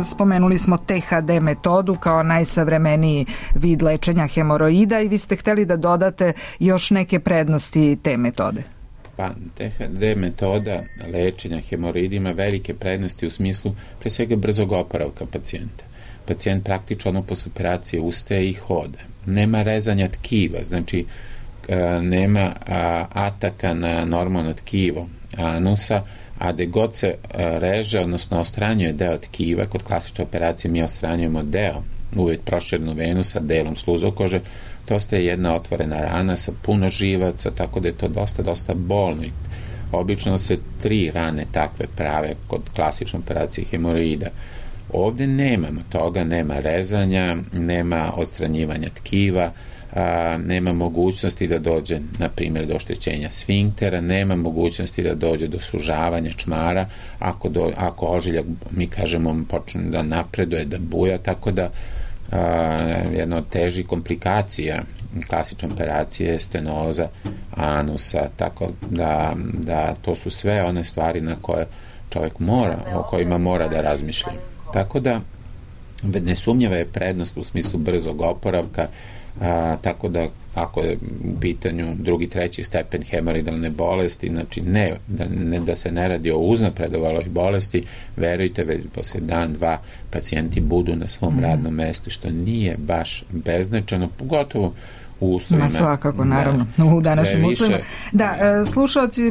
Spomenuli smo THD metodu kao najsavremeniji vid lečenja hemoroida i vi ste hteli da dodate još neke prednosti te metode. Pa, THD metoda lečenja hemoroida ima velike prednosti u smislu pre svega brzog oporavka pacijenta. Pacijent praktično posle operacije ustaje i hoda. Nema rezanja tkiva, znači nema ataka na normalno tkivo, anusa, a gde god se reže, odnosno ostranjuje deo tkiva, kod klasične operacije mi ostranjujemo deo, uvijek proširenu venu sa delom sluzokože, to ostaje jedna otvorena rana sa puno živaca, tako da je to dosta bolno. Obično se 3 rane takve prave kod klasične operacije hemoroida. Ovde nemamo toga, nema rezanja, nema odstranjivanja tkiva, nema mogućnosti da dođe, na primjer, do oštećenja sfinktera, nema mogućnosti da dođe do sužavanja čmara, ako ožiljak, mi kažemo, počne da napreduje, da buja, tako da jedna od težih komplikacija klasične operacije je stenoza anusa, tako da to su sve one stvari na koje čovjek mora, o kojima mora da razmišlja. Tako da nesumnjiva je prednost u smislu brzog oporavka, tako da ako je u pitanju 2. 3. stepen hemoroidalne bolesti, znači ne da se ne radi o uznapredovaloj bolesti, verujte, već posle dan, 2 pacijenti budu na svom radnom mestu, što nije baš beznačajno, pogotovo u uslovima. Svakako, naravno, u današnjim uslovima. Da, slušalci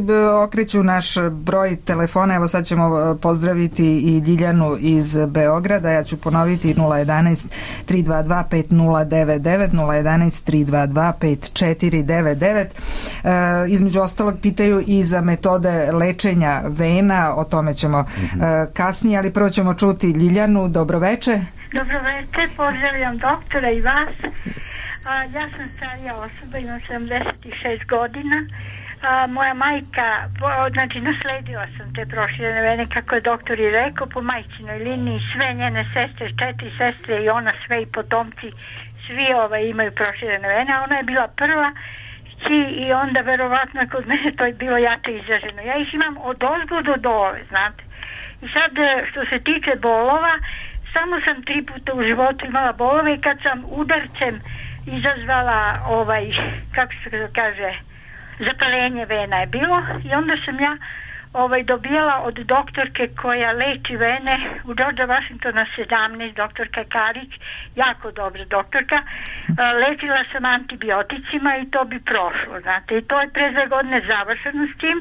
okreću naš broj telefona, evo sad ćemo pozdraviti i Ljiljanu iz Beograda, ja ću ponoviti 011 322 5099, 011 322 5499. Između ostalog pitaju i za metode lečenja vena, o tome ćemo kasnije, ali prvo ćemo čuti Ljiljanu. Dobroveče. Dobroveče, pozdravljam doktora i vas. Ja sam starija osoba, imam 76 godina. Moja majka, znači nasledila sam te proširene vene, kako je doktor i rekao, po majčinoj liniji, sve njene sestre, 4 sestre i ona, sve i potomci, svi imaju proširene vene, a ona je bila prva i onda verovatno kod mene to je bilo jako izraženo. Ja ih imam od ozgo do dole, znate. I sad, što se tiče bolova, samo sam 3 puta u životu imala bolove i kad sam udarcem izazvala kako se kaže, zapalenje vena je bilo i onda sam ja dobijala od doktorke koja leči vene u George Washingtona 17, doktorka Karić, jako dobra doktorka. Lečila sam antibioticima i to bi prošlo, znate, i to je pre 2 godine završeno s tim.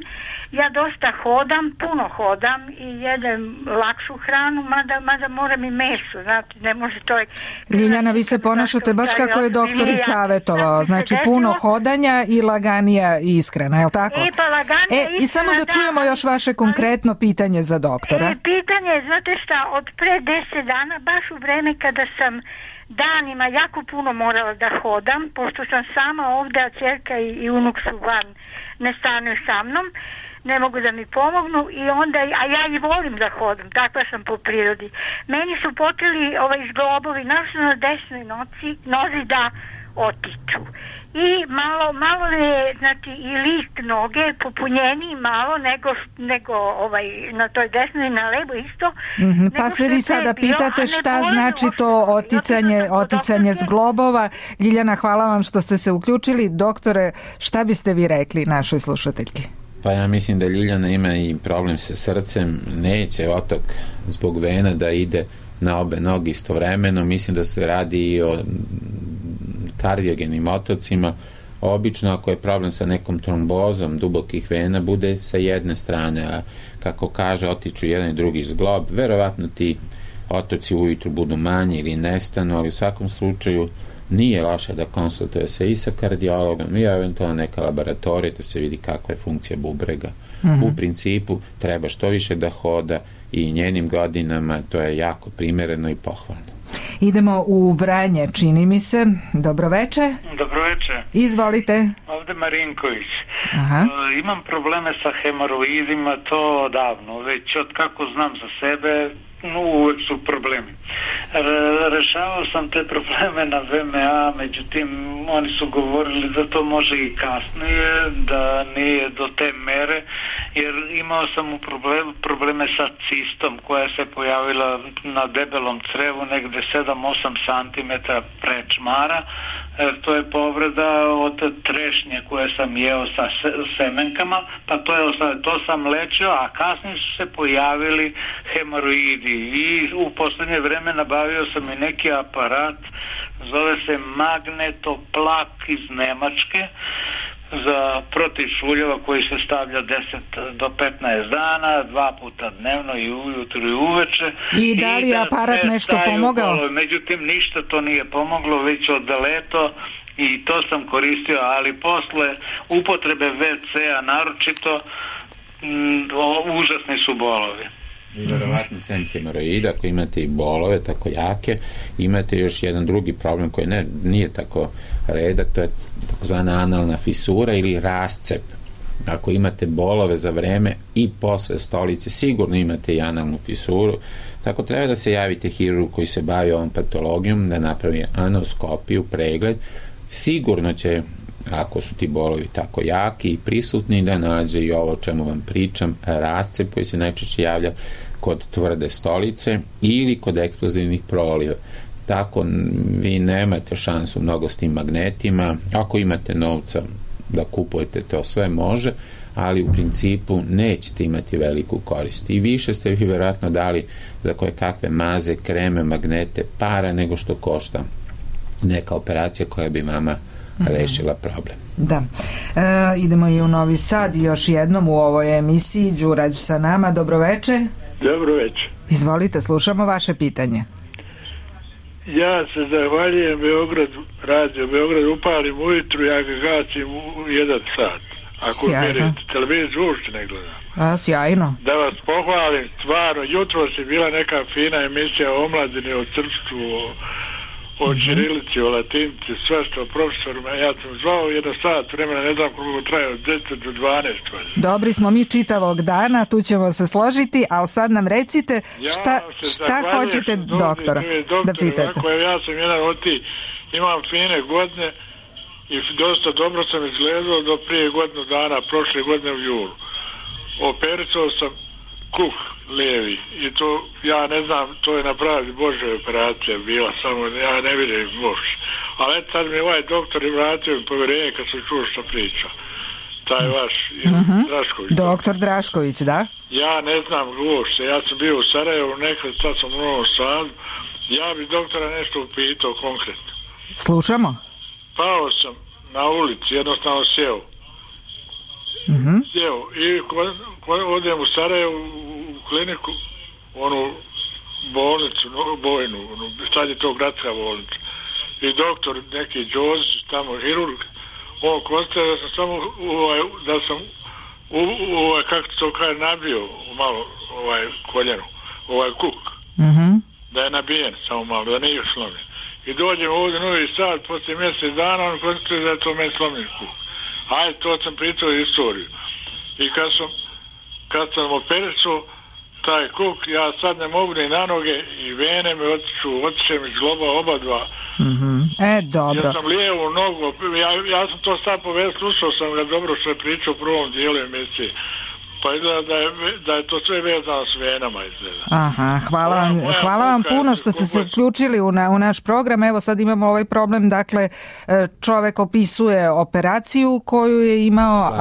Ja dosta hodam, puno hodam i jedem lakšu hranu, mada moram i meso, znate, ne može čovjek... Ljiljana, vi se ponašate baš kako je doktor i savjetovao, znači puno hodanja i laganija i iskrena, je li tako? Pa laganija i samo da čujemo još vaše konkretno pitanje za doktora. Pitanje, znate šta, od pre 10 dana, baš u vreme kada sam danima jako puno morala da hodam, pošto sam sama ovde, a ćerka i unuk su van, ne stanuju sa mnom, ne mogu da mi pomognu i onda, a ja i volim da hodam, takva sam po prirodi. Meni su počeli zglobovi, naravno na desnoj nozi da otiču. I malo je, znači, i list noge popunjeniji malo nego na toj desnoj i na levo isto. Pa se vi sada pitate šta znači to oticanje zglobova. Ljiljana, hvala vam što ste se uključili. Doktore, šta biste vi rekli našoj slušateljki? Pa ja mislim da Ljiljana ima i problem sa srcem, neće otok zbog vena da ide na obe noge istovremeno, mislim da se radi i o kardiogenim otocima. Obično ako je problem sa nekom trombozom dubokih vena, bude sa jedne strane, a kako kaže, otiču jedan i drugi zglob, verovatno ti otoci ujutru budu manji ili nestanu, ali u svakom slučaju nije loše da konsultuje se i sa kardiologom i eventualno neka laboratorija da se vidi kakva je funkcija bubrega. U principu treba što više da hoda i njenim godinama, to je jako primereno i pohvalno. Idemo u Vranje, čini mi se. Dobroveče. Dobroveče. Izvolite. Ovde Marinković. Aha. Imam probleme sa hemoroidima, to davno, već od kako znam za sebe, uvek su problemi. Rešavao sam te probleme na VMA, međutim oni su govorili da to može i kasnije, da nije do te mere, jer imao sam probleme sa cistom koja se pojavila na debelom crevu negde 7-8 cm pre čmara. To je povreda od trešnje koje sam jeo sa semenkama, pa to sam lečio, a kasnije su se pojavili hemoroidi i u poslednje vreme nabavio sam i neki aparat, zove se magnetoplak iz Nemačke, za protiv šuljeva koji se stavlja 10 do 15 dana, 2 puta dnevno i ujutru i uveče. I da li je aparat nešto pomogao? Međutim, ništa to nije pomoglo, već od leto i to sam koristio, ali posle upotrebe WC-a naročito užasni su bolovi. I verovatno sem hemoroida, ako imate i bolove tako jake, imate još jedan drugi problem koji nije tako redak, to je takozvana analna fisura ili rascep. Ako imate bolove za vreme i posle stolice, sigurno imate i analnu fisuru, tako treba da se javite hirurgu koji se bavi ovom patologijom, da napravi anoskopiju, pregled, sigurno će, ako su ti bolovi tako jaki i prisutni, da nađe i ovo o čemu vam pričam, rascep koji se najčešće javlja kod tvrde stolice ili kod eksplozivnih proliva. Tako vi nemate šansu mnogo s tim magnetima. Ako imate novca da kupujete, to sve može, ali u principu nećete imati veliku korist. I više ste vi vjerojatno dali za koje kakve maze, kreme, magnete, para nego što košta neka operacija koja bi vama rešila problem. Da. Idemo i u Novi Sad još jednom u ovoj emisiji. Đurađ sa nama, dobroveče. Dobroveče. Izvolite, slušamo vaše pitanje. Ja se zahvaljujem radio Beograd, upalim ujutru, ja ga gasim u 1 sat. Ako merite, televiziju uopšte ne gledam. Sjajno. Da vas pohvalim, stvarno, jutro si bila neka fina emisija o omladini, o srpstvu, o ćirilici, o latinici, sve što profesorima, ja sam zvao 1 sat vremena, ne znam koliko traje, od 10 do 12. Dobri smo mi čitavog dana, tu ćemo se složiti, ali sad nam recite šta hoćete doktora da pitate. Ja sam jedan od tih, imam fine godine i dosta dobro sam izgledao do prije godinu dana, prošle godine u julu. Opericao sam kuh lijevi i to, ja ne znam, to je napravili Božja operacija bila, samo ja ne vidim Bož. Ali tad mi ovaj doktor i vratio mi povjerenje kad sam čuo što priča. Taj vaš Drašković. Doktor Drašković, da? Ja ne znam uopšte, ja sam bio u Sarajevu, nekad sad sam u Novom Sadu, ja bi doktora nešto upitao konkretno. Slušamo. Pao sam na ulici, jednostavno sjeo. Sjeo i odem u Sarajevu u kliniku, onu bolnicu, bojnu, sad je to gradska bolnica. I doktor, neki Đozić, tamo hirurg, on konstatuje da sam samo, da sam, kako to kaže, nabio malo koljenu, kuk. Da je nabijen samo malo, da nije slomljen. I dođem ovdje Novi Sad, poslije mjesec dana, on konstatuje da je to meni slomljen kuk. Ajde, to sam pričao istoriju. I kad sam opericao taj kuk, ja sad ne mogu ni na noge i vene me otiče mi zgloba oba dva. Dobro. Ja sam lijevu nogu, ja sam to sad povedao, slušao sam ga dobro što je pričao u prvom dijelu emisije. Pa izgleda da je to sve vezano s venama izgleda. Aha, hvala vam puno što ste se uključili u naš program. Evo sad imamo ovaj problem, dakle čovek opisuje operaciju koju je imao,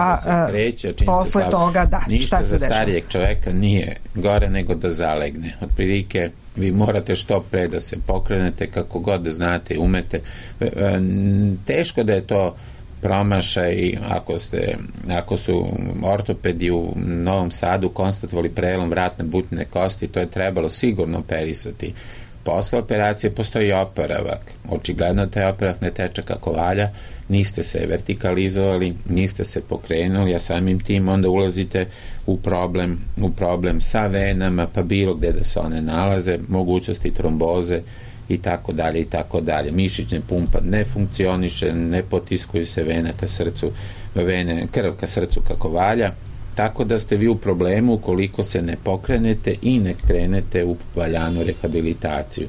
posle toga ništa šta se za starijeg čoveka nije gore nego da zalegne. Otprilike vi morate što pre da se pokrenete, kako god da znate, umete. Teško da je to promašaj, ako su ortopedi u Novom Sadu konstatovali prelom vratne butine kosti, to je trebalo sigurno operisati. Posle operacije postoji oporavak. Očigledno taj oporavak ne teče kako valja, niste se vertikalizovali, niste se pokrenuli, a samim tim onda ulazite u problem sa venama, pa bilo gde da se one nalaze, mogućnosti tromboze i tako dalje i tako dalje. Mišićna pumpa ne funkcioniše, ne potiskuju se krv ka srcu kako valja, tako da ste vi u problemu ukoliko se ne pokrenete i ne krenete u valjanu rehabilitaciju.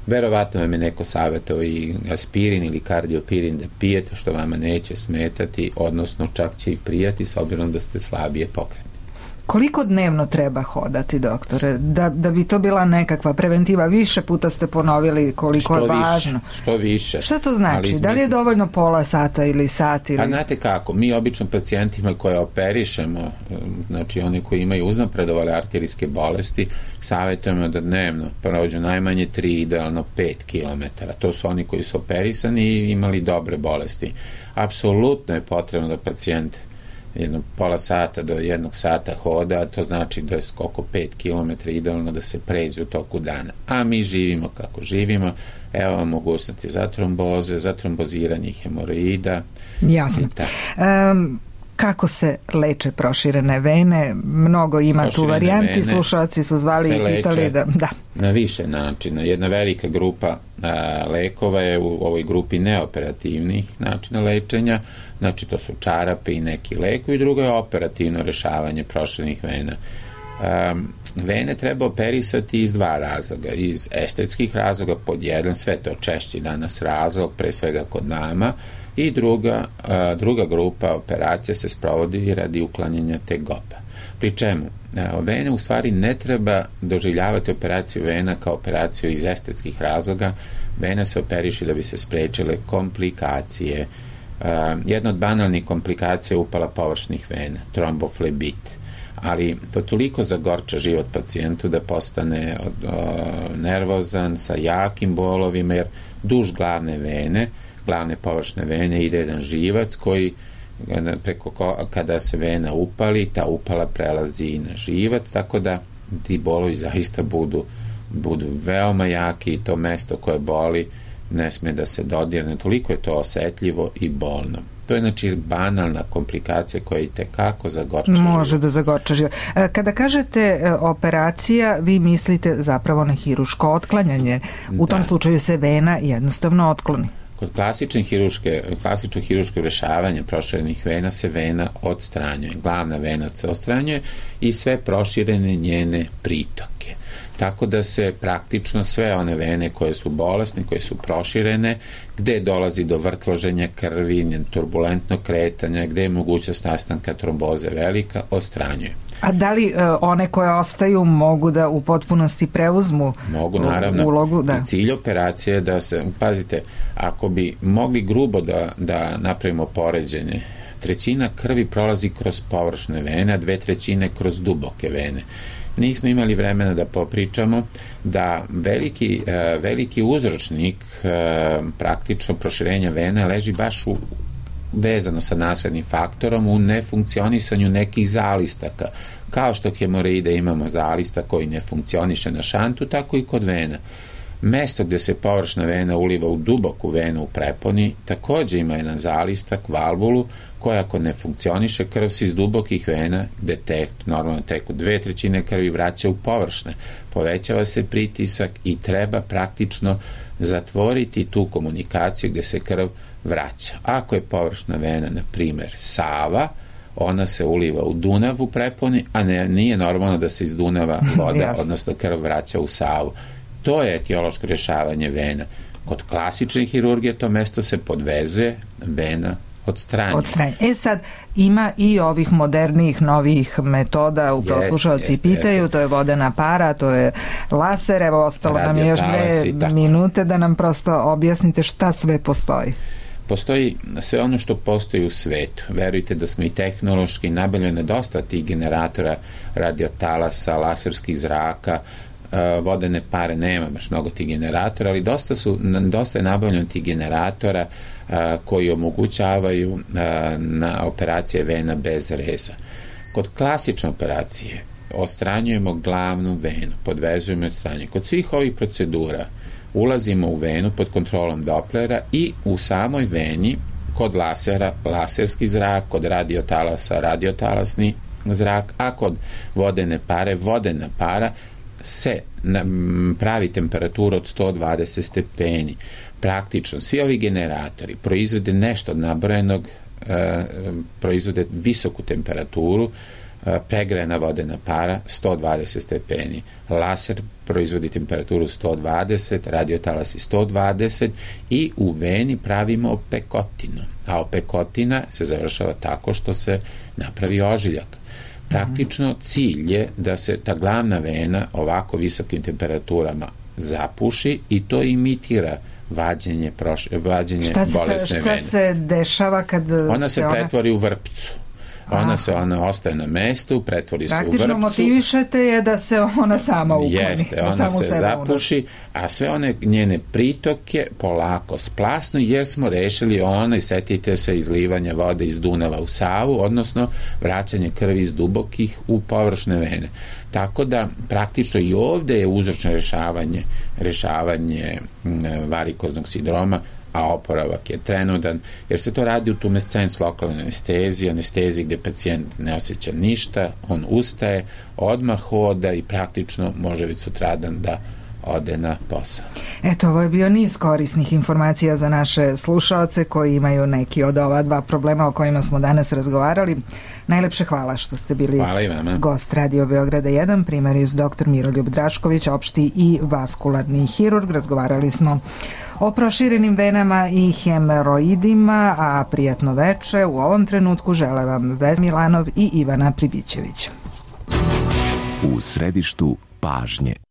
Verovatno vam je neko savjetovao i aspirin ili kardiopirin da pijete, što vama neće smetati, odnosno čak će i prijati s obzirom da ste slabije pokretni. Koliko dnevno treba hodati, doktore, da bi to bila nekakva preventiva? Više puta ste ponovili koliko je važno. Što više. Šta to znači? Da li je dovoljno pola sata ili sat? Ili... Pa znate kako, mi obično pacijentima koje operišemo, znači oni koji imaju uznapredovale arterijske bolesti, savjetujemo da dnevno prođu najmanje 3, idealno 5 km. To su oni koji su operisani i imali dobre bolesti. Apsolutno je potrebno da pacijent pola sata do 1 sata hoda, to znači da je oko 5 km idealno da se pređe u toku dana. A mi živimo kako živimo, evo vam mogućnosti za tromboze, za tromboziranje hemoroida. Jasno. Kako se leče proširene vene? Mnogo ima proširene tu varijanti, slušalci su zvali i pitali da... Na više načina. Jedna velika grupa lekova je u ovoj grupi neoperativnih načina lečenja, znači to su čarape i neki lekovi, i drugo je operativno rešavanje proširenih vena. Vene treba operisati iz 2 razloga. Iz estetskih razloga, pod jedan, sve to češći danas razlog, pre svega kod nama, i druga grupa operacija se sprovodi radi uklanjanja tegoba. Pri čemu, vene u stvari ne treba doživljavati operaciju vena kao operaciju iz estetskih razloga. Vena se operiše da bi se sprečile komplikacije. Jedna od banalnih komplikacija je upala površnih vena, tromboflebit. Ali to toliko zagorča život pacijentu da postane nervozan, sa jakim bolovima, jer duž glavne površne vene ide jedan živac koji kada se vena upali, ta upala prelazi i na živac, tako da ti bolovi zaista budu veoma jaki i to mesto koje boli ne sme da se dodirne, toliko je to osetljivo i bolno. To je znači banalna komplikacija koja i tekako zagorča život. Može da zagorča život. Kada kažete operacija, vi mislite zapravo na hiruško otklanjanje. U tom slučaju se vena jednostavno otkloni. Kod klasičnog hiruškog rešavanja proširenih vena se vena odstranjuje. Glavna vena se odstranjuje i sve proširene njene pritoke. Tako da se praktično sve one vene koje su bolesne, koje su proširene, gde dolazi do vrtloženja krvi, turbulentnog kretanja, gde je mogućnost nastanka tromboze velika, odstranjuje. A da li one koje ostaju mogu da u potpunosti preuzmu mogu, naravno, ulogu? Da. Cilj operacije je da se, pazite, ako bi mogli grubo da napravimo poređenje, 1/3 krvi prolazi kroz površne vene, a 2/3 kroz duboke vene. Nismo imali vremena da popričamo da veliki uzročnik praktično proširenja vena leži baš vezano sa naslednim faktorom u nefunkcionisanju nekih zalistaka. Kao što hemoroide imamo zalistak koji ne funkcioniše na šantu, tako i kod vena. Mesto gde se površna vena uliva u duboku venu u preponi takođe ima jedan zalistak, valvulu, koja ako ne funkcioniše, krv se iz dubokih vena, gde normalno teku 2/3 krvi, vraća u površne. Povećava se pritisak i treba praktično zatvoriti tu komunikaciju gde se krv vraća. Ako je površna vena, na primer, Sava, ona se uliva u Dunav u preponi, a nije normalno da se iz Dunava voda, odnosno krv, vraća u Savu. To je etiološko rješavanje vena. Kod klasične hirurgije to mesto se podvezuje, vena odstranjuje. Sad, ima i ovih modernijih, novih metoda, upravo slušalci pitaju, to je vodena para, to je laser, evo ostalo nam je još 2 minute da nam prosto objasnite šta sve postoji. Postoji sve ono što postoji u svetu. Verujte da smo i tehnološki nabavljene dosta tih generatora, radiotalasa, laserskih zraka, vodene pare, nema baš mnogo tih generatora, ali dosta je nabavljeno tih generatora koji omogućavaju na operacije vena bez reza. Kod klasične operacije odstranjujemo glavnu venu, podvezujemo i odstranjujemo. Kod svih ovih procedura ulazimo u venu pod kontrolom Dopplera i u samoj veni kod lasera laserski zrak, kod radiotalasa radiotalasni zrak, a kod vodene pare vodena para se pravi temperatura od 120 stepeni. Praktično, svi ovi generatori proizvode nešto od nabrojenog, proizvode visoku temperaturu, pregrejana vodena para 120 stepeni. Laser proizvodi temperaturu 120, radiotalasi 120 i u veni pravimo opekotinu. A opekotina se završava tako što se napravi ožiljak. Praktično cilj je da se ta glavna vena ovako visokim temperaturama zapuši i to imitira vađenje bolesne vene. Šta se dešava kad ona se pretvori u vrpcu. Ona ostaje na mestu, pretvori se u vrpcu. Praktično motivišete je da se ona sama ukloni. Jeste, ona se zapuši, a sve one njene pritoke polako splasnu, jer smo rešili i setite se, izlivanja vode iz Dunava u Savu, odnosno vraćanje krvi iz dubokih u površne vene. Tako da praktično i ovde je uzročno rešavanje varikoznog sindroma, a oporavak je trenutan, jer se to radi u tumescens lokalne anesteziji gde pacijent ne osjeća ništa, on ustaje, odmah hoda i praktično može već sutradan da ode na posao. Eto, ovo je bio niz korisnih informacija za naše slušaoce koji imaju neki od ova dva problema o kojima smo danas razgovarali. Najlepše hvala što ste bili gost Radio Beograda 1, primarijus dr. Miroljub Drašković, opšti i vaskularni hirurg. Razgovarali smo o proširenim venama i hemoroidima, a prijatno veče u ovom trenutku žele vam Vesna Milanov i Ivana Pribićević. U središtu pažnje.